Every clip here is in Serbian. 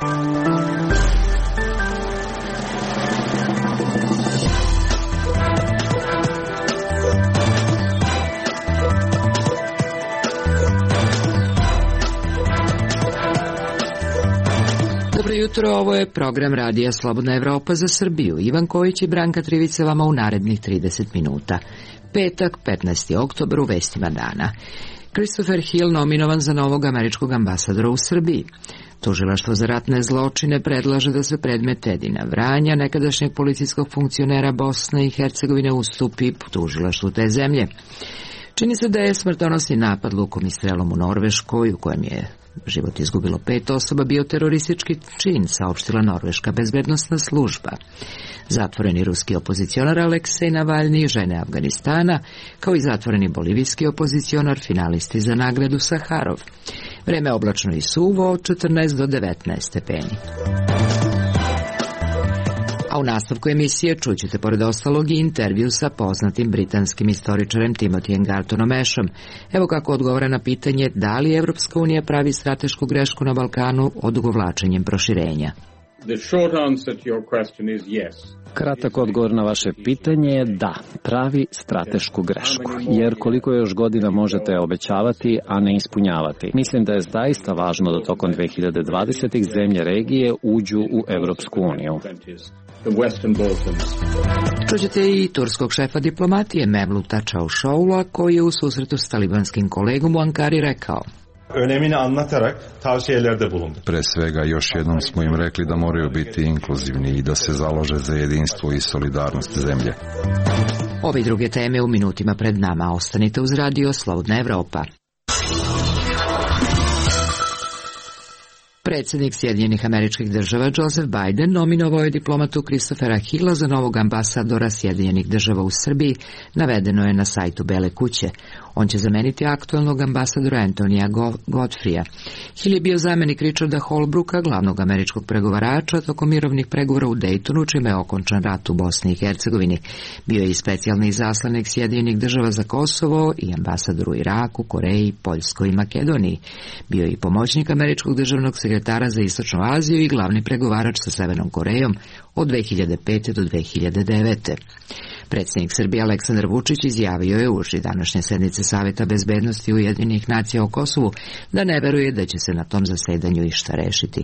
Dobro jutro, ovo je program Radija Slobodna Evropa za Srbiju. Ivan Kojić i Branka Trivica vama u narednih 30 minuta. Petak, 15. oktobar, u vestima dana. Christopher Hill nominovan za novog američkog ambasadora u Srbiji. Tužilaštvo za ratne zločine predlaže da se predmet Edina Vranja, nekadašnjeg policijskog funkcionera Bosne i Hercegovine, ustupi tužilaštvu te zemlje. Čini se da je smrtonosni napad lukom i strelom u Norveškoj, u kojem je život izgubilo 5 osoba, bio teroristički čin, saopštila norveška bezbednosna služba. Zatvoreni ruski opozicionar Aleksej Navalni, žene Afganistana, kao i zatvoreni bolivijski opozicionar, finalisti za nagradu Saharov. Vreme oblačno i suvo od 14 do 19 stepeni. A u nastavku emisije čućete pored ostalog i intervju sa poznatim britanskim istoričarem Timothyjem Gartonom Ashom. Evo kako odgovara na pitanje da li Evropska unija pravi stratešku grešku na Balkanu odugovlačenjem proširenja. Kratak odgovor na vaše pitanje je da, pravi stratešku grešku, jer koliko još godina možete obećavati, a ne ispunjavati. Mislim da je zaista važno da tokom 2020. zemlje regije uđu u Evropsku uniju. Čućete i turskog šefa diplomatije Mevluta Čavuşoğlu'a, koji je u susretu s talibanskim kolegom u Ankari rekao: önemini anlatarak tavsiyelerde bulundu. Pre svega još jednom smo im rekli da moraju biti inkluzivni i da se založe za jedinstvo i solidarnost zemlje. Ove i druge teme u minutima pred nama. Ostanite uz Radio Slobodna Evropa. Predsjednik Sjedinjenih Američkih Država Joseph Biden nominovao je diplomatu Christophera Hilla za novog ambasadora Sjedinjenih Država u Srbiji, navedeno je na sajtu Bele kuće. On će zameniti aktuelnog ambasadora Antonija Godfreya. Hill je bio zamenik Richarda Holbrooka, glavnog američkog pregovarača, tokom mirovnih pregovora u Daytonu, čime je okončan rat u Bosni i Hercegovini. Bio je i specijalni izaslanik Sjedinjenih Država za Kosovo i ambasador u Iraku, Koreji, Poljskoj i Makedoniji. Bio je i pomoćnik američkog državnog sekretara za Istočnu Aziju i glavni pregovarač sa Severnom Korejom od 2005. do 2009. Predsjednik Srbije Aleksandar Vučić izjavio je uoči današnje sednice Saveta bezbednosti Ujedinjenih nacija o Kosovu da ne veruje da će se na tom zasedanju išta rešiti.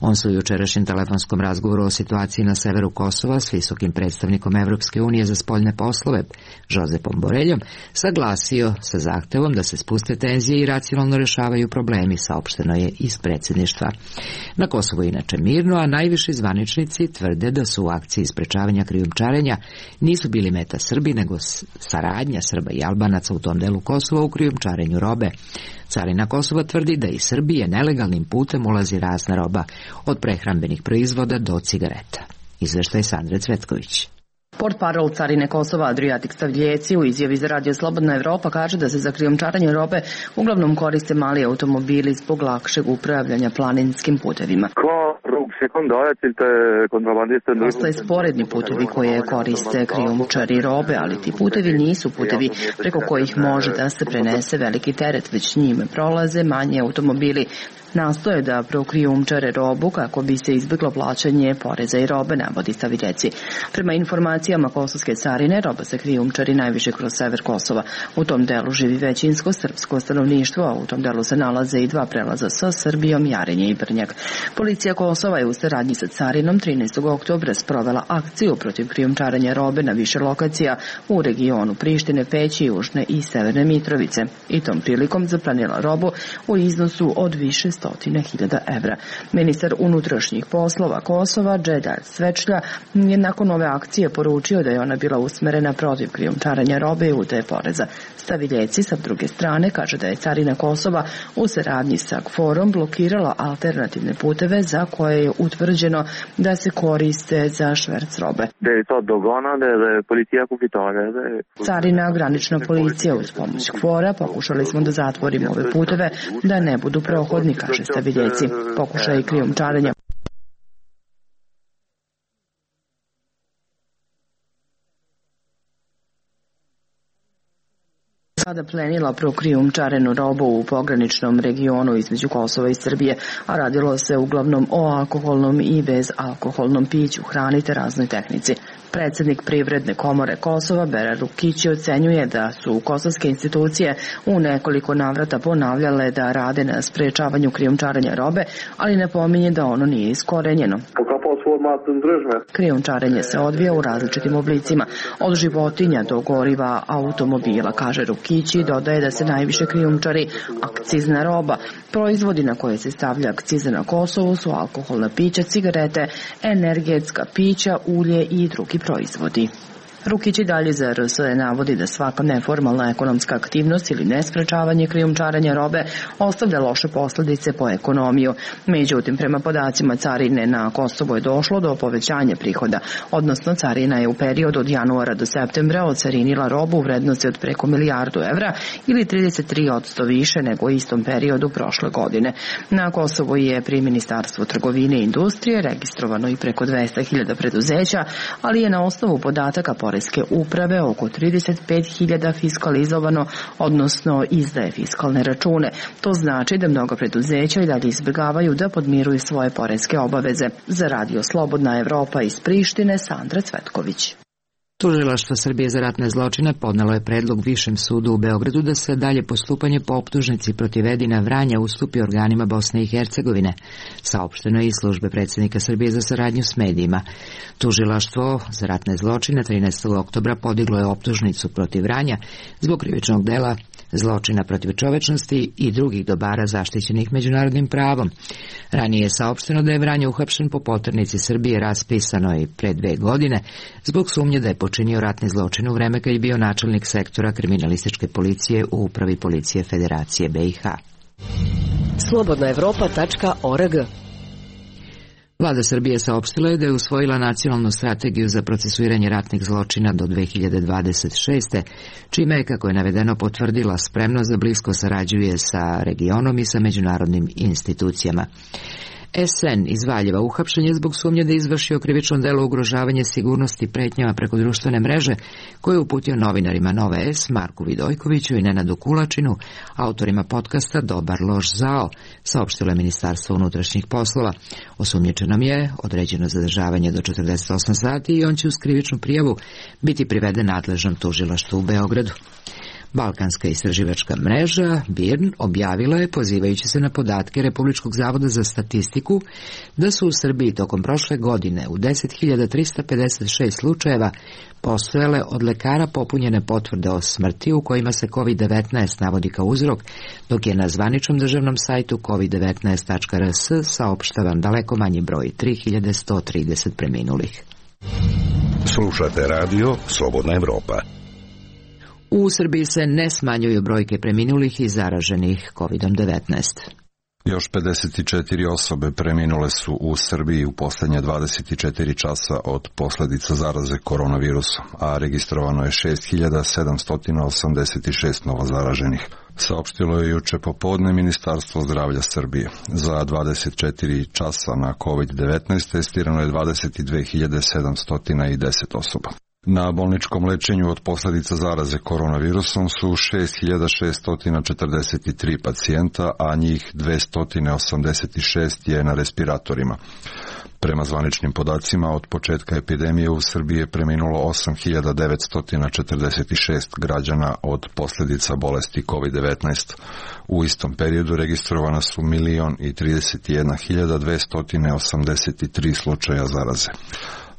On se u jučerašnjem telefonskom razgovoru o situaciji na severu Kosova s visokim predstavnikom Evropske unije za spoljne poslove Josepom Boreljom saglasio sa zahtevom da se spuste tenzije i racionalno rešavaju problemi, saopšteno je iz predsjedništva. Na Kosovu je inače mirno, a najviši zvaničnici tvrde da su u akciji sprečavanja krijumčarenja nisu bili meta Srbi, nego saradnja Srba i Albanaca u tom delu Kosova u krijumčarenju robe. Carina Kosova tvrdi da iz Srbije nelegalnim putem ulazi razna roba, od prehrambenih proizvoda do cigareta. Izveštaj Sandre Cvetković. Portparol Carine Kosova Adrijatik Stavljeci u izjavi za Radio Slobodna Evropa kaže da se za krijumčarenje robe uglavnom koriste mali automobili zbog lakšeg upravljanja planinskim putevima. Postoje sporedni putevi koje koriste krijumčari robe, ali ti putevi nisu putevi preko kojih može da se prenese veliki teret, već njime prolaze manji automobili. Nastoje da prokrijumčare robu kako bi se izbjeglo plaćanje poreza i robe, navodi Staviljeci. Prema informacijama kosovske carine, roba se krijumčari najviše kroz sever Kosova. U tom delu živi većinsko srpsko stanovništvo, a u tom delu se nalaze i 2 prelaza sa Srbijom, Jarinje i Brnjak. Policija Kosova je u saradnji sa carinom 13. oktobra sprovela akciju protiv krijumčarenja robe na više lokacija u regionu Prištine, Peći, Južne i Severne Mitrovice. I tom prilikom zaplanila robu u iznosu od više 100.000 evra. Ministar unutrašnjih poslova Kosova, Džedar Svečlja, je nakon ove akcije poručio da je ona bila usmerena protiv krijumčarenja robe i utaje poreza. Staviljeci sa druge strane kaže da je carina Kosova u saradnji sa KFOR-om blokirala alternativne puteve za koje je utvrđeno da se koriste za šverc robe. Carina, granična policija uz pomoć KFOR-a pokušali smo da zatvorimo ove puteve da ne budu prohodni, kaže Staviljeci. Pokušaj krijumčarenja Sada plenila prokrijumčarenu robu u pograničnom regionu između Kosova i Srbije, a radilo se uglavnom o alkoholnom i bezalkoholnom piću, hrani te raznoj tehnici. Predsednik Privredne komore Kosova, Bera Rukići, ocenjuje da su kosovske institucije u nekoliko navrata ponavljale da rade na sprečavanju krijumčarenja robe, ali ne pominje da ono nije iskorenjeno. Krijumčarenje se odvija u različitim oblicima, od životinja do goriva automobila, kaže Rukići, i dodaje da se najviše krijumčari akcizna roba. Proizvodi na koje se stavlja akciza na Kosovu su alkoholna pića, cigarete, energetska pića, ulje i drugi proizvodi. Rukić i dalje za RSE navodi da svaka neformalna ekonomska aktivnost ili nesprečavanje krijumčarenja robe ostavlja loše posledice po ekonomiju. Međutim, prema podacima carine na Kosovo je došlo do povećanja prihoda, odnosno carina je u periodu od januara do septembra ocarinila robu u vrednosti od preko €1.000.000 ili 33% više nego u istom periodu prošle godine. Na Kosovu je pri Ministarstvu trgovine i industrije registrovano i preko 200.000 preduzeća, ali je na osnovu podataka Poreske uprave oko 35.000 fiskalizovano, odnosno izdaje fiskalne račune. To znači da mnogo preduzeća i dalje izbjegavaju da podmiruju svoje poreske obaveze. Za Radio Slobodna Evropa iz Prištine, Sandra Cvetković. Tužilaštvo Srbije za ratne zločine podnelo je predlog Višem sudu u Beogradu da se dalje postupanje po optužnici protiv Edina Vranja ustupi organima Bosne i Hercegovine. Saopšteno je iz službe predsjednika Srbije za saradnju s medijima. Tužilaštvo za ratne zločine 13. oktobra podiglo je optužnicu protiv Vranja zbog krivičnog dela zločina protiv čovečnosti i drugih dobara zaštićenih međunarodnim pravom. Ranije je saopšteno da je Vranje uhapšen po poternici Srbije raspisano i pre 2 godine zbog sumnje da je počinio ratni zločin u vreme kad je bio načelnik sektora kriminalističke policije u upravi policije Federacije BiH. Slobodnaevropa.org. Vlada Srbije saopštila je da je usvojila nacionalnu strategiju za procesuiranje ratnih zločina do 2026. čime je, kako je navedeno, potvrdila spremnost da blisko sarađuje sa regionom i sa međunarodnim institucijama. SN iz Valjeva uhapšen je zbog sumnje da je izvršio krivično delo ugrožavanje sigurnosti pretnjama preko društvene mreže koje je uputio novinarima Nove S, Marku Vidojkoviću i Nenadu Kulačinu, autorima podcasta Dobar loš zao, saopštilo je Ministarstvo unutrašnjih poslova. Osumnjičenom je određeno zadržavanje do 48 sati i on će uz krivičnu prijavu biti priveden nadležnom tužilaštvu u Beogradu. Balkanska istraživačka mreža BIRN objavila je, pozivajući se na podatke Republičkog zavoda za statistiku, da su u Srbiji tokom prošle godine u 10.356 slučajeva postojale od lekara popunjene potvrde o smrti u kojima se COVID-19 navodi kao uzrok, dok je na zvaničnom državnom sajtu covid19.rs saopštavan daleko manji broj, 3.130 preminulih. Slušate radio Slobodna Evropa. U Srbiji se ne smanjuju brojke preminulih i zaraženih COVID-19. Još 54 osobe preminule su u Srbiji u posljednje 24 časa od posljedica zaraze koronavirusom, a registrovano je 6.786 novozaraženih. Saopštilo je juče popodne Ministarstvo zdravlja Srbije. Za 24 časa na COVID-19 testirano je 22.710 osoba. Na bolničkom lečenju od posljedica zaraze koronavirusom su 6.643 pacijenta, a njih 286 je na respiratorima. Prema zvaničnim podacima, od početka epidemije u Srbiji je preminulo 8.946 građana od posljedica bolesti COVID-19. U istom periodu registrovana su 1.031.283 slučaja zaraze.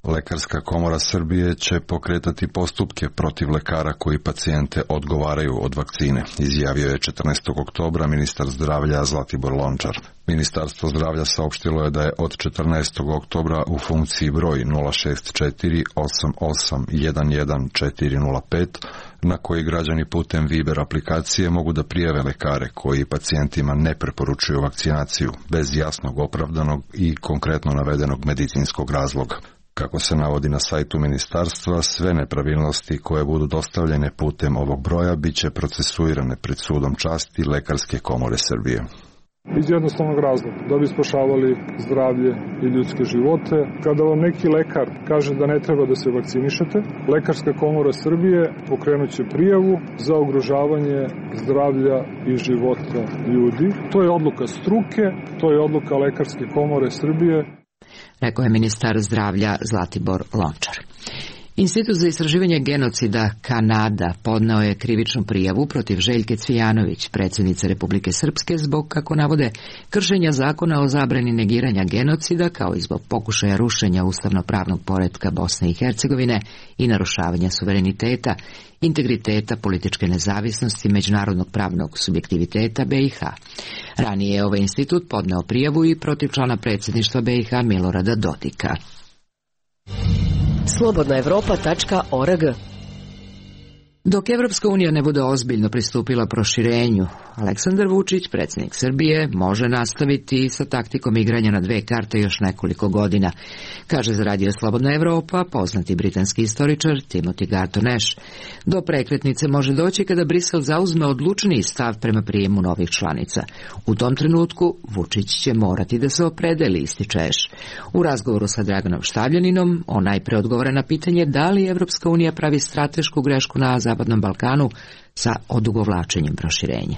Lekarska komora Srbije će pokretati postupke protiv lekara koji pacijente odgovaraju od vakcine, izjavio je 14. oktobra ministar zdravlja Zlatibor Lončar. Ministarstvo zdravlja saopštilo je da je od 14. oktobra u funkciji broj 06488111405, na koji građani putem Viber aplikacije mogu da prijave lekare koji pacijentima ne preporučuju vakcinaciju bez jasnog, opravdanog i konkretno navedenog medicinskog razloga. Kako se navodi na sajtu ministarstva, sve nepravilnosti koje budu dostavljene putem ovog broja bit će procesuirane pred sudom časti Lekarske komore Srbije. Iz jednostavnog razloga, da bi spašavali zdravlje i ljudske živote. Kada vam neki lekar kaže da ne treba da se vakcinišete, Lekarska komora Srbije pokrenut će prijavu za ugrožavanje zdravlja i života ljudi. To je odluka struke, to je odluka Lekarske komore Srbije. Rekao je ministar zdravlja Zlatibor Lončar. Institut za istraživanje genocida Kanada podneo je krivičnu prijavu protiv Željke Cvijanović, predsjednice Republike Srpske, zbog, kako navode, kršenja zakona o zabrani negiranja genocida, kao i zbog pokušaja rušenja ustavno-pravnog poretka Bosne i Hercegovine i narušavanja suvereniteta, integriteta, političke nezavisnosti, međunarodnog pravnog subjektiviteta BiH. Ranije je ovaj institut podneo prijavu i protiv člana predsjedništva BiH Milorada Dodika. Slobodnaevropa.org. Dok Evropska unija ne bude ozbiljno pristupila proširenju, Aleksandar Vučić, predsjednik Srbije, može nastaviti sa taktikom igranja na dve karte još nekoliko godina, kaže za radio Slobodna Evropa poznati britanski istoričar Timothy Garton Ash. Do prekretnice može doći kada Brisel zauzme odlučniji stav prema prijemu novih članica. U tom trenutku Vučić će morati da se opredeli, ističe Ash. U razgovoru sa Draganom Štavljaninom on najpre odgovara na pitanje da li Evropska unija pravi stratešku grešku na Zapadnom Balkanu sa odugovlačenjem proširenja.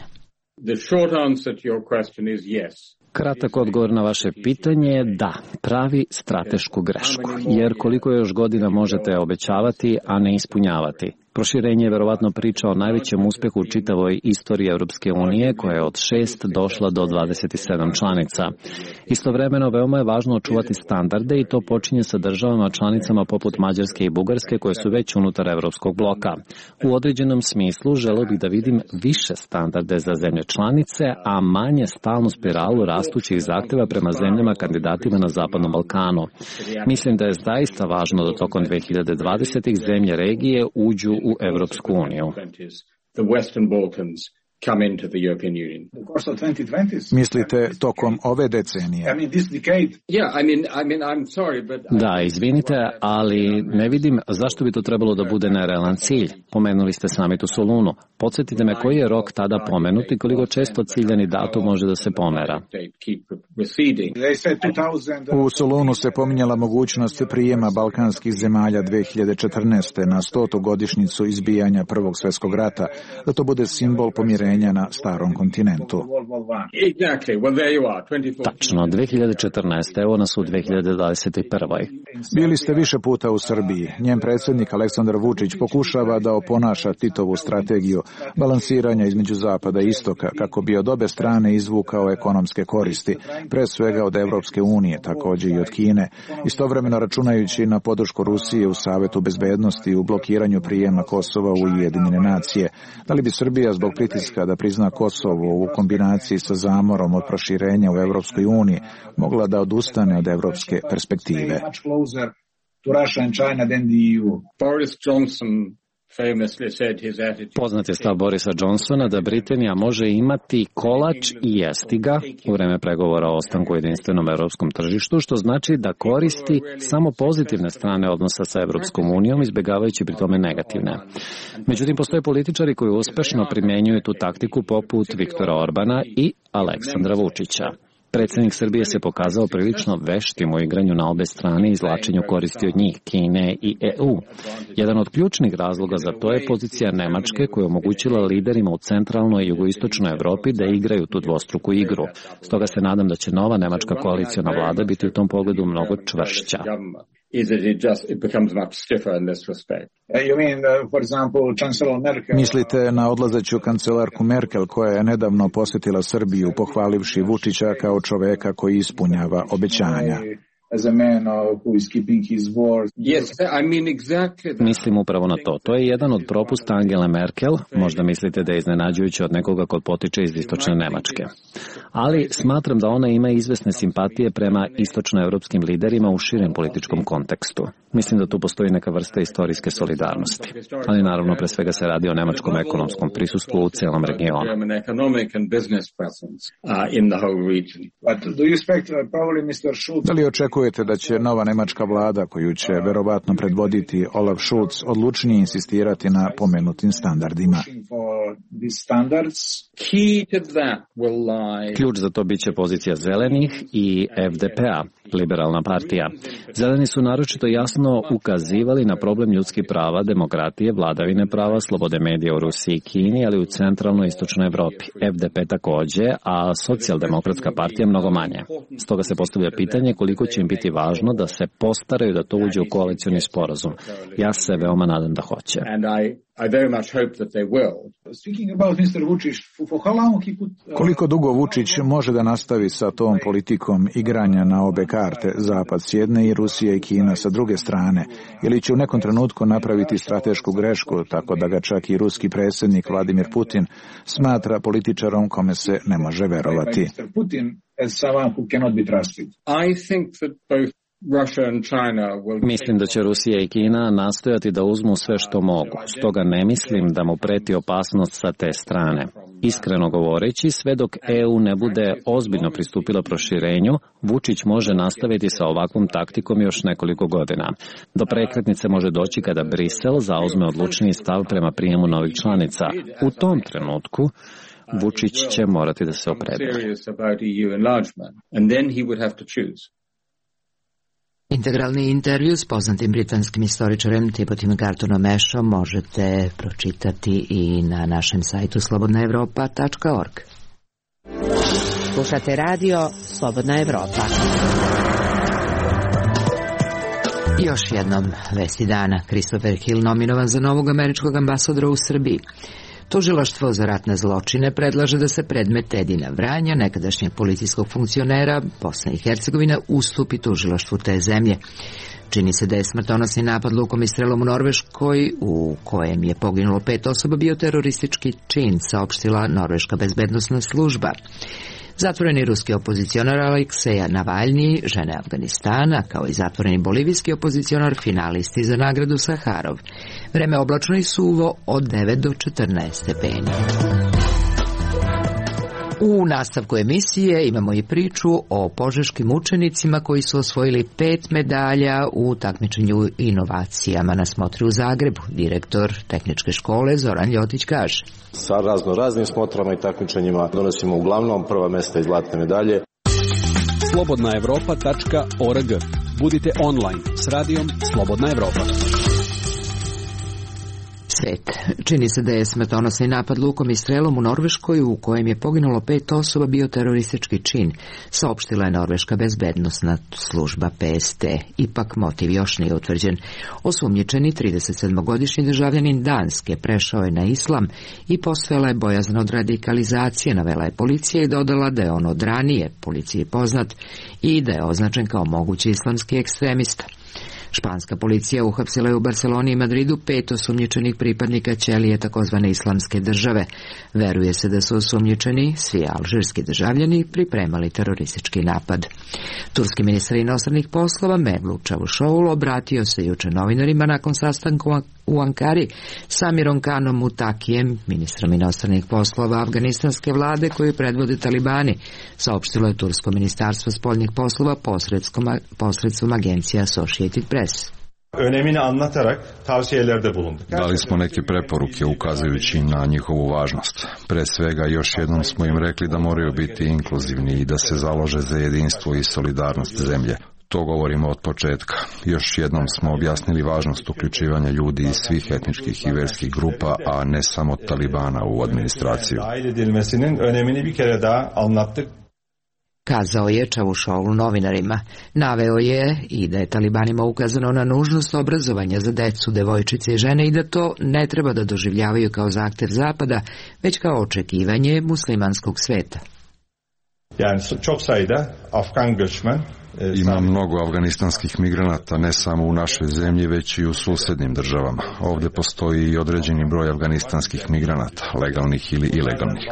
Kratak odgovor na vaše pitanje je da, pravi stratešku grešku, jer koliko još godina možete obećavati, a ne ispunjavati. Proširenje je verovatno priča o najvećem uspehu u čitavoj istoriji Europske unije, koja je od 6 došla do 27 članica. Istovremeno, veoma je važno očuvati standarde i to počinje sa državama članicama poput Mađarske i Bugarske, koje su već unutar Evropskog bloka. U određenom smislu želeo bih da vidim više standarde za zemlje članice, a manje stalnu spiralu rastućih zahteva prema zemljama kandidatima na Zapadnom Balkanu. Mislim da je zaista važno da tokom 2020. zemlje regije uđu u Evropsku uniju. Mislite tokom ove decenije? Da, izvinite, ali ne vidim zašto bi to trebalo da bude nerealan cilj. Pomenuli ste summit u Solunu. Podsjetite me koji je rok tada pomenut i koliko često ciljani datum može da se pomera. U Solunu se pominjala mogućnost prijema balkanskih zemalja 2014. na 100. godišnjicu izbijanja Prvog svjetskog rata, da to bude simbol pomirenja na starom kontinentu. Tačno, 2014. Evo nas u 2021. Bili ste više puta u Srbiji. Njen predsjednik Aleksandar Vučić pokušava da oponaša Titovu strategiju balansiranja između zapada i istoka, kako bi od obe strane izvukao ekonomske koristi, pre svega od Evropske unije, također i od Kine, istovremeno računajući na podršku Rusije u Savetu bezbednosti i u blokiranju prijema Kosova u Ujedinjene nacije. Da li bi Srbija zbog pritiska da prizna Kosovo u kombinaciji sa zamorom od proširenja u Evropskoj uniji mogla da odustane od evropske perspektive? Poznat je stav Borisa Johnsona da Britanija može imati kolač i jesti ga u vreme pregovora o ostanku u jedinstvenom evropskom tržištu, što znači da koristi samo pozitivne strane odnosa sa Evropskom unijom, izbjegavajući pri tome negativne. Međutim, postoje političari koji uspešno primjenjuju tu taktiku poput Viktora Orbana i Aleksandra Vučića. Predsjednik Srbije se pokazao prilično veštim u igranju na obe strane i izvlačenju koristi od njih, Kine i EU. Jedan od ključnih razloga za to je pozicija Nemačke, koja je omogućila liderima u centralnoj i jugoistočnoj Evropi da igraju tu dvostruku igru. Stoga se nadam da će nova nemačka koaliciona vlada biti u tom pogledu mnogo čvršća. Mislite na odlazeću kancelarku Merkel, koja je nedavno posjetila Srbiju, pohvalivši Vučića kao čoveka koji ispunjava obećanja? Mislim upravo na to. To je jedan od propusta Angele Merkel. Možda mislite da je iznenađujuće od nekoga ko potiče iz istočne Nemačke. Ali smatram da ona ima izvesne simpatije prema istočnoevropskim liderima u širem političkom kontekstu. Mislim da tu postoji neka vrsta istorijske solidarnosti. Ali naravno pre svega se radi o nemačkom ekonomskom prisustvu u celom regionu. Da li očekujete da će nova nemačka vlada, koju će verovatno predvoditi Olaf Scholz, odlučnije insistirati na pomenutim standardima? Ključ za to biće pozicija zelenih i FDP-a, liberalna partija. Zeleni su naročito jasno ukazivali na problem ljudskih prava, demokratije, vladavine prava, slobode medija u Rusiji i Kini, ali u centralnoj i istočnoj Evropi. FDP takođe, a socijaldemokratska partija mnogo manje. Stoga se postavlja pitanje koliko će im biti važno da se postaraju da to uđe u koalicioni sporazum. Ja se veoma nadam da hoće. Koliko dugo Vučić može da nastavi sa tom politikom igranja na obe karte, Zapad s jedne i Rusija i Kina sa druge strane, ili će u nekom trenutku napraviti stratešku grešku, tako da ga čak i ruski predsjednik Vladimir Putin smatra političarom kome se ne može verovati? Mislim da će Rusija i Kina nastojati da uzmu sve što mogu, stoga ne mislim da mu preti opasnost sa te strane. Iskreno govoreći, sve dok EU ne bude ozbiljno pristupila proširenju, Vučić može nastaviti sa ovakvom taktikom još nekoliko godina. Do prekretnice može doći kada Brisel zauzme odlučniji stav prema prijemu novih članica. U tom trenutku Vučić će morati da se opredeli. Integralni intervju s poznatim britanskim istoričarem Timothyjem Gartonom Ashom možete pročitati i na našem sajtu slobodnaevropa.org. Slušate radio Slobodna Evropa. Još jednom vesti dana. Christopher Hill nominovan za novog američkog ambasadora u Srbiji. Tužilaštvo za ratne zločine predlaže da se predmet Edina Vranja, nekadašnjeg policijskog funkcionera Bosne i Hercegovine, ustupi tužilaštvu te zemlje. Čini se da je smrtonosni napad lukom i strelom u Norveškoj, u kojem je poginulo 5 osoba, bio teroristički čin, saopštila norveška bezbednosna služba. Zatvoreni ruski opozicionar Alekseja Navalnji, žene Afganistana, kao i zatvoreni bolivijski opozicionar, finalisti za nagradu Saharov. Vreme oblačno i suvo od 9 do 14 stepeni. U nastavku emisije imamo i priču o požeškim učenicima koji su osvojili 5 medalja u takmičenju inovacijama na smotri u Zagrebu. Direktor tehničke škole Zoran Ljotić kaže: Sa raznim smotrama i takmičenjima donosimo uglavnom prva mesta i zlatne medalje. Slobodnaevropa.org. Budite online s radijom Slobodna Evropa. Svet. Čini se da je smrtonosni napad lukom i strelom u Norveškoj, u kojem je poginulo 5 osoba, bio teroristički čin, saopštila je norveška bezbednosna služba PST. Ipak motiv još nije utvrđen. Osumnjičeni 37-godišnji državljanin Danske prešao je na islam i postojala je bojazan od radikalizacije, navela je policija i dodala da je on od ranije policiji poznat i da je označen kao mogući islamski ekstremista. Španska policija uhapsila je u Barceloni i Madridu 5 osumnjičenih pripadnika ćelije takozvane islamske države. Veruje se da su osumnjičeni, svi alžirski državljani, pripremali teroristički napad. Turski ministar inostranih poslova Mevlut Čavuşoğlu obratio se juče novinarima nakon sastanka u Ankari sa Amirom Kanom Mutakijem, ministrom inostranih poslova afganistanske vlade koju predvode talibani, saopštilo je Tursko ministarstvo spoljnih poslova posredstvom agencije Associated Press. Önemini anlatarak tavsiyelerde bulunduk. Dali smo neke preporuke ukazujući na njihovu važnost. Pre svega još jednom smo im rekli da moraju biti inkluzivni i da se založe za jedinstvo i solidarnost zemlje. To govorimo od početka. Još jednom smo objasnili važnost uključivanja ljudi iz svih etničkih i verskih grupa, a ne samo talibana u administraciju. Dahil edilmesinin önemini bir kere daha anlattık. Kazao je Čavuşoğlu novinarima. Naveo je i da je talibanima ukazano na nužnost obrazovanja za decu, devojčice i žene i da to ne treba da doživljavaju kao zahtev Zapada, već kao očekivanje muslimanskog sveta. Yani çok sayıda Afgan göçmen Ima mnogo afganistanskih migranata ne samo u našoj zemlji, već i u susednim državama. Ovdje postoji i određeni broj afganistanskih migranata, legalnih ili ilegalnih.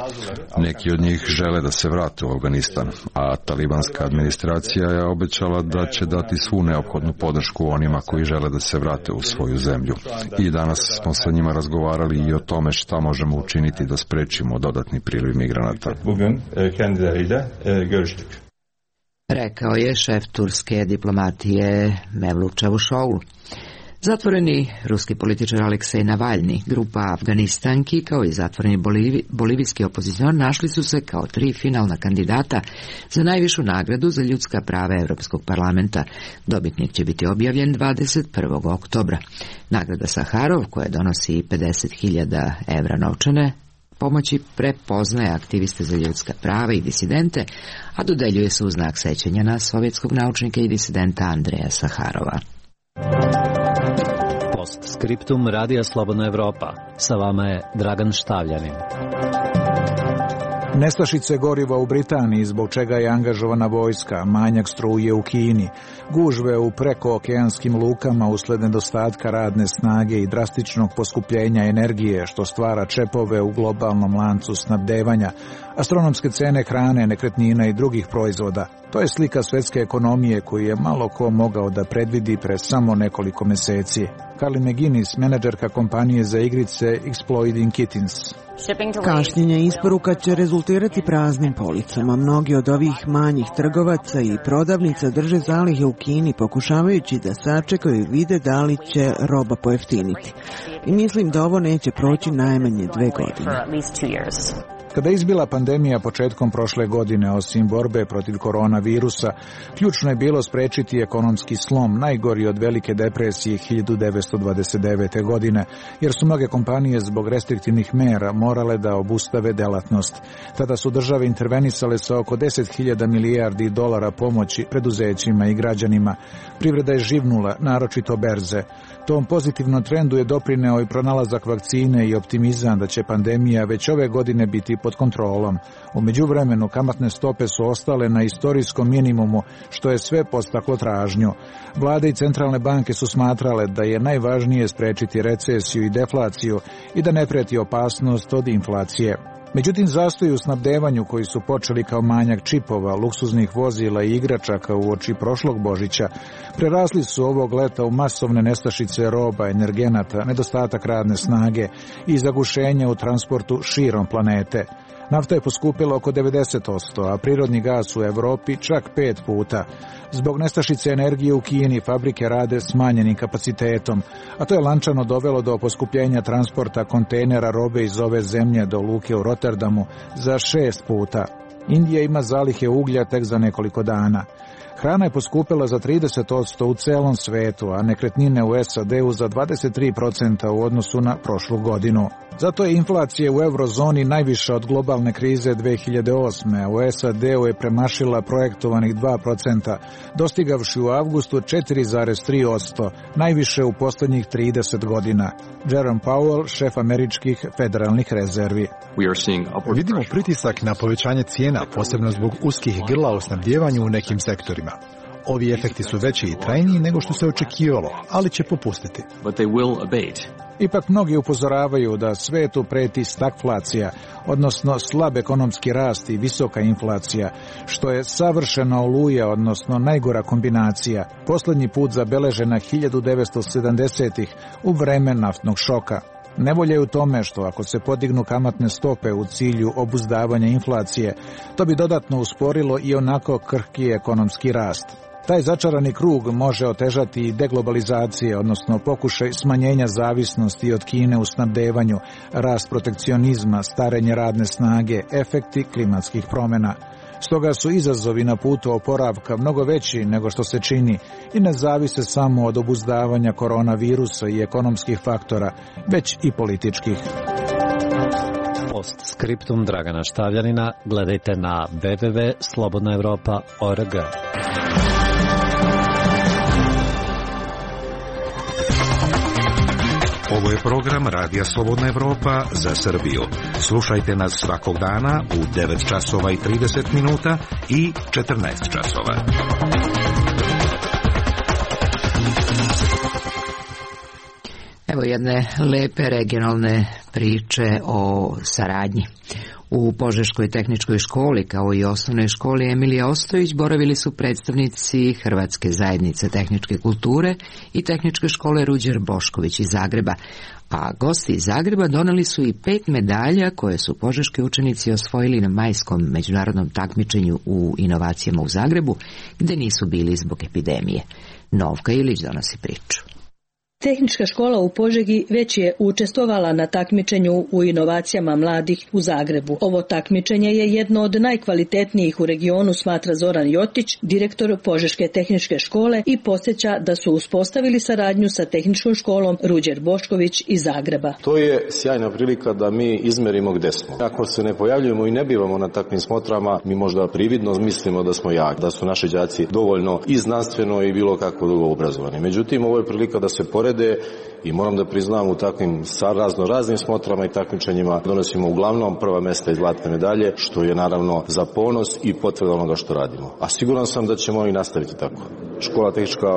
Neki od njih žele da se vrate u Afganistan, a talibanska administracija je obećala da će dati svu neophodnu podršku onima koji žele da se vrate u svoju zemlju. I danas smo sa njima razgovarali i o tome šta možemo učiniti da sprečimo dodatni priliv migranata. Bugün kendileriyle görüştük. Rekao je šef turske diplomatije Mevlut Čavuşoğlu. Zatvoreni ruski političar Aleksej Navalni, grupa Afganistanki kao i zatvoreni bolivijski opozicionar našli su se kao 3 finalna kandidata za najvišu nagradu za ljudska prava Europskog parlamenta. Dobitnik će biti objavljen 21. oktobra. Nagrada Saharov, koja donosi 50.000 evra novčane pomoći, prepoznaje aktiviste za ljudska prava i disidente, a dodeljuje se u znak sećanja na sovjetskog naučnika i disidenta Andreja Saharova. Postskriptum Radija Slobodna Evropa. Sa vama je Dragan Štavljanin. Nestašice goriva u Britaniji, zbog čega je angažovana vojska, manjak struje u Kini, gužve u prekookeanskim lukama usled nedostatka radne snage i drastičnog poskupljenja energije, što stvara čepove u globalnom lancu snabdevanja, astronomske cene hrane, nekretnina i drugih proizvoda. To je slika svetske ekonomije koju je malo ko mogao da predvidi pre samo nekoliko meseci. Carly McGuinness, menadžerka kompanije za igrice Exploiting Kittens. Kašnjenje isporuka će rezultirati praznim policama. Mnogi od ovih manjih trgovaca i prodavnica drže zalihe u Kini, pokušavajući da sačekaju i vide da li će roba pojeftiniti. I mislim da ovo neće proći najmanje 2 godine. Kada je izbila pandemija početkom prošle godine, osim borbe protiv koronavirusa, ključno je bilo sprečiti ekonomski slom, najgori od velike depresije 1929. godine, jer su mnoge kompanije zbog restriktivnih mera morale da obustave delatnost. Tada su države intervenisale sa oko 10.000 milijardi dolara pomoći preduzećima i građanima. Privreda je živnula, naročito berze. Tom pozitivnom trendu je doprineo i pronalazak vakcine i optimizam da će pandemija već ove godine biti pod kontrolom. U međuvremenu kamatne stope su ostale na istorijskom minimumu, što je sve podstaklo tražnju. Vlade i centralne banke su smatrale da je najvažnije sprečiti recesiju i deflaciju i da ne preti opasnost od inflacije. Međutim, zastoji u snabdevanju koji su počeli kao manjak čipova, luksuznih vozila i igračaka uoči prošlog Božića, prerasli su ovog leta u masovne nestašice roba, energenata, nedostatak radne snage i zagušenja u transportu širom planete. Nafta je poskupila oko 90%, a prirodni gas u Evropi čak 5 puta. Zbog nestašice energije u Kini fabrike rade smanjenim kapacitetom, a to je lančano dovelo do poskupljenja transporta kontejnera robe iz ove zemlje do luke u Rotterdamu za 6 puta. Indija ima zalihe uglja tek za nekoliko dana. Hrana je poskupila za 30% u celom svetu, a nekretnine u SAD-u za 23% u odnosu na prošlu godinu. Zato je inflacija u eurozoni najviša od globalne krize 2008. a u SAD-u je premašila projektovanih 2%, dostigavši u avgustu 4,3%, najviše u poslednjih 30 godina. Jerome Powell, šef američkih federalnih rezervi. Vidimo pritisak na povećanje cijena, posebno zbog uskih grla u snabdjevanju u nekim sektorima. Ovi efekti su veći i trajniji nego što se očekivalo, ali će popustiti. Ipak mnogi upozoravaju da svetu preti stagflacija, odnosno slab ekonomski rast i visoka inflacija, što je savršena oluja, odnosno najgora kombinacija, poslednji put zabeležena 1970-ih u vreme naftnog šoka. Nevolja je u tome što ako se podignu kamatne stope u cilju obuzdavanja inflacije, to bi dodatno usporilo i onako krhki ekonomski rast. Taj začarani krug može otežati i deglobalizacije, odnosno pokušaj smanjenja zavisnosti od Kine u snabdevanju, rast protekcionizma, starenje radne snage, efekti klimatskih promjena. Stoga su izazovi na putu oporavka mnogo veći nego što se čini i ne zavise samo od obuzdavanja koronavirusa i ekonomskih faktora, već i političkih. Postskriptum Dragana Štavljanina gledajte na www.slobodnaevropa.org. Ovo je program Radija Slobodna Evropa za Srbiju. Slušajte nas svakog dana u 9 časova i 30 minuta i 14 časova. Evo jedne lepe regionalne priče o saradnji. U Požeškoj tehničkoj školi, kao i osnovnoj školi Emilija Ostojić, boravili su predstavnici Hrvatske zajednice tehničke kulture i tehničke škole Ruđer Bošković iz Zagreba, a gosti iz Zagreba doneli su i 5 medalja koje su požeški učenici osvojili na majskom međunarodnom takmičenju u inovacijama u Zagrebu, gde nisu bili zbog epidemije. Novka Ilić donosi priču. Tehnička škola u Požegi već je učestvovala na takmičenju u inovacijama mladih u Zagrebu. Ovo takmičenje je jedno od najkvalitetnijih u regionu, smatra Zoran Jotić, direktor Požeške tehničke škole, i podsjeća da su uspostavili saradnju sa tehničkom školom Ruđer Bošković iz Zagreba. To je sjajna prilika da mi izmerimo gde smo. Ako se ne pojavljujemo i ne bivamo na takvim smotrama, mi možda prividno mislimo da smo jaki, da su naši đaci dovoljno i znanstveno i bilo kako drugo obrazovani. Međutim, ovo je prilika da se porede i moram da priznam, u takvim raznim smotrama i takmičenjima donosimo uglavnom prva mesta i zlatne medalje, što je naravno za ponos i potvrda onoga što radimo. A siguran sam da ćemo i nastaviti tako. Škola tehnička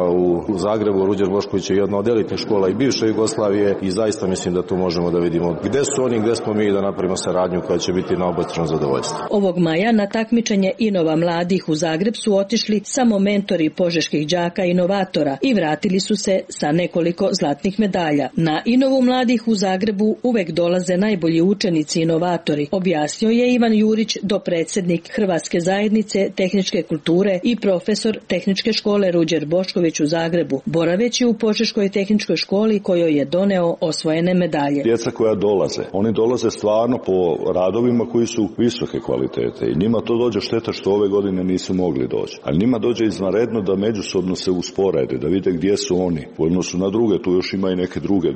u Zagrebu, Ruđer Bošković, je jedna od elitnih škola i bivše Jugoslavije i zaista mislim da tu možemo da vidimo gde su oni, gde smo mi, da napravimo saradnju koja će biti na obostrano zadovoljstvo. Ovog maja na takmičenje Inova mladih u Zagreb su otišli samo mentori požeških đaka inovatora i vratili su se sa nekoliko zlatnih medalja. Na Inovu mladih u Zagrebu uvek dolaze najbolji učenici inovatori, objasnio je Ivan Jurić, dopredsjednik Hrvatske zajednice tehničke kulture i profesor tehničke škole Ruđer Bošković u Zagrebu, boraveći u Požeškoj tehničkoj školi kojoj je doneo osvojene medalje. Djeca koja dolaze, oni dolaze stvarno po radovima koji su visoke kvalitete i njima to dođe šteta što ove godine nisu mogli doći. Ali njima dođe izvanredno da međusobno se usporede, da vide gdje su oni u odnosu na druge, tu još ima i neke druge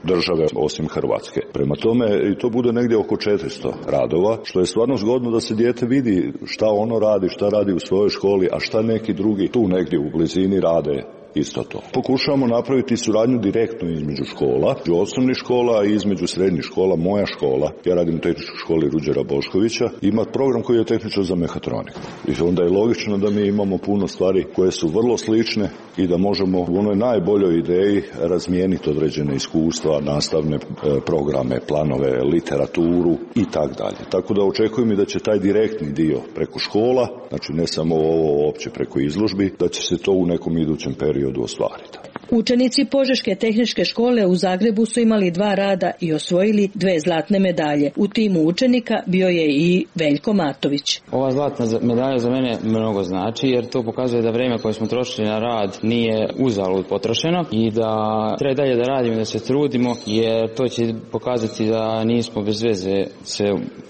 države osim Hrvatske. Prema tome i to bude negdje oko 400 radova, što je stvarno zgodno da se dijete vidi šta ono radi, šta radi u svojoj školi, a šta neki drugi tu negdje u blizini rade isto to. Pokušavamo napraviti suradnju direktno između škola, između osnovnih škola i između srednjih škola. Moja škola, ja radim u tehničkoj školi Ruđera Boškovića, ima program koji je tehničar za mehatroniku. I onda je logično da mi imamo puno stvari koje su vrlo slične i da možemo u onoj najboljoj ideji razmijeniti određene iskustva, nastavne programe, planove, literaturu i tak dalje. Tako da očekujem i da će taj direktni dio preko škola, znači ne samo ovo opće preko izložbi, da će se to u nekom idućem periodu ostvariti. Učenici Požeške tehničke škole u Zagrebu su imali 2 rada i osvojili 2 zlatne medalje. U timu učenika bio je i Veljko Matović. Ova zlatna medalja za mene mnogo znači, jer to pokazuje da vrijeme koje smo trošili na rad nije uzalud potrošeno i da treba dalje da radimo, da se trudimo, jer to će pokazati da nismo bez veze se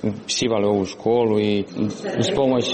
upisivali u ovu školu i uz pomoć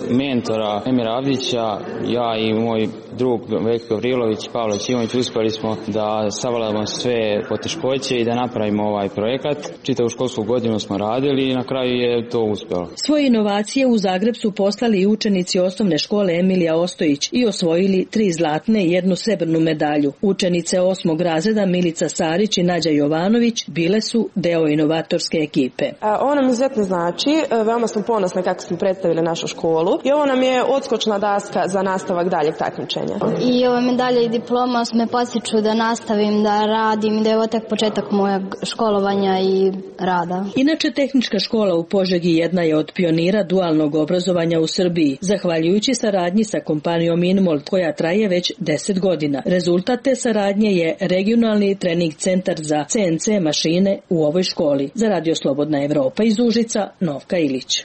mentora Emira Avdića, ja i moj drug Veljko Gavrilović, Pavle Ćimović, uspjeli smo da savladamo sve poteškoće i da napravimo ovaj projekat. Čitavu školsku godinu smo radili i na kraju je to uspjelo. Svoje inovacije u Zagreb su poslali i učenici osnovne škole Emilija Ostojić i osvojili 3 zlatne i 1 srebrnu medalju. Učenice 8. razreda Milica Sarić i Nađa Jovanović bile su deo inovatorske ekipe. Ovo nam izuzetno znači, veoma smo ponosni kako smo predstavili našu školu i ovo nam je odskočna daska za nastavak daljeg takmičenja. I ova medalja i diploma me podsjeću da nastavim da radim i da je ovo tek početak mojeg školovanja i rada. Inače, tehnička škola u Požegi jedna je od pionira dualnog obrazovanja u Srbiji, zahvaljujući saradnji sa kompanijom Inmold, koja traje već 10 godina. Rezultat te saradnje je regionalni trening centar za CNC mašine u ovoj školi. Za Radio Slobodna Evropa iz Užica, Novka Ilić.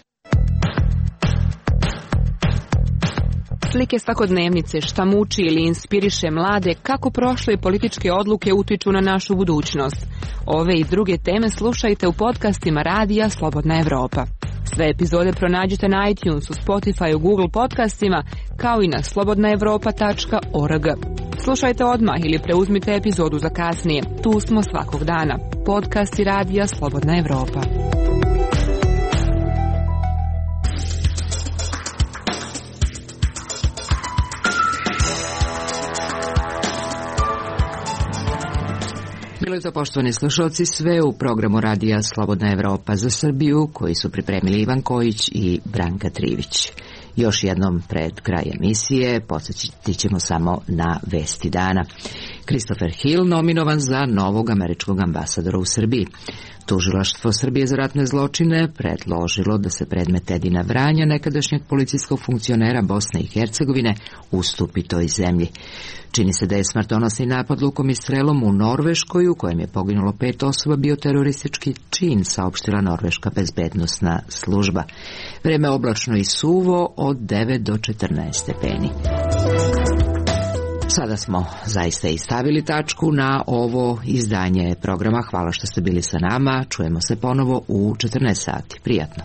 Slike svakodnevnice, šta muči ili inspiriše mlade, kako prošle političke odluke utiču na našu budućnost. Ove i druge teme slušajte u podcastima Radija Slobodna Evropa. Sve epizode pronađite na iTunesu, Spotify, Google podcastima, kao i na slobodnaevropa.org. Slušajte odmah ili preuzmite epizodu za kasnije. Tu smo svakog dana. Podcasti Radija Slobodna Evropa. Bilo je to, poštovani slušalci, sve u programu Radija Slobodna Evropa za Srbiju, koji su pripremili Ivan Kojić i Branka Trivić. Još jednom pred kraj emisije podsjetiti ćemo samo na vesti dana. Christopher Hill nominovan za novog američkog ambasadora u Srbiji. Tužilaštvo Srbije za ratne zločine predložilo da se predmet Edina Vranja, nekadašnjeg policijskog funkcionera Bosne i Hercegovine, ustupi toj zemlji. Čini se da je smrtonosni napad lukom i strelom u Norveškoj, u kojem je poginulo 5 osoba, bio teroristički čin, saopštila norveška bezbednosna služba. Vreme oblačno i suvo od 9 do 14 stepeni. Sada smo zaista i stavili tačku na ovo izdanje programa. Hvala što ste bili sa nama. Čujemo se ponovo u 14 sati. Prijatno.